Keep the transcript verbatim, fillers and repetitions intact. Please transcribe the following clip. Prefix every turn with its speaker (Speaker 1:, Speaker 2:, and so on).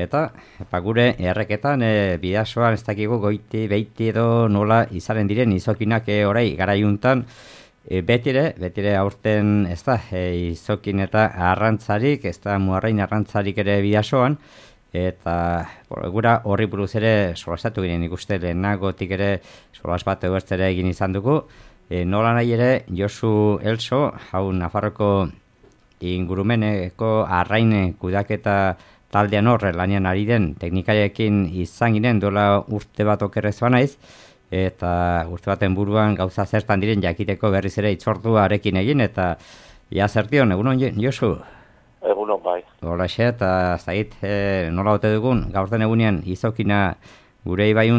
Speaker 1: Eta, eta gure erreketan, e, bidasoan ez dakigu goiti, beiti edo nola izaren diren izokinak e, orai garaiuntan, e, betire, betire aurten ez da, e, izokin eta arrantzarik, ez da muarrain arrantzarik ere bidasoan, eta por, gura horri buruz ere solastatu ginen ikuste lehenagotik ere solas bat ebertzere egin izan dugu, e, nola nahi ere Josu Elso, hau Nafarroko ingurumeneko arrain kudaketa taldean horre lanian ari den teknikariekin izan ginen duela urte bat okerrez banaiz, eta urte baten buruan gauza zertan diren jakiteko berriz ere itzordua arekin egin, eta ja zertion, egunon Josu?
Speaker 2: Egunon bai.
Speaker 1: Hola xe, eta zait, e, nola ote dugun, gaurten egunean izokina gure ibaiun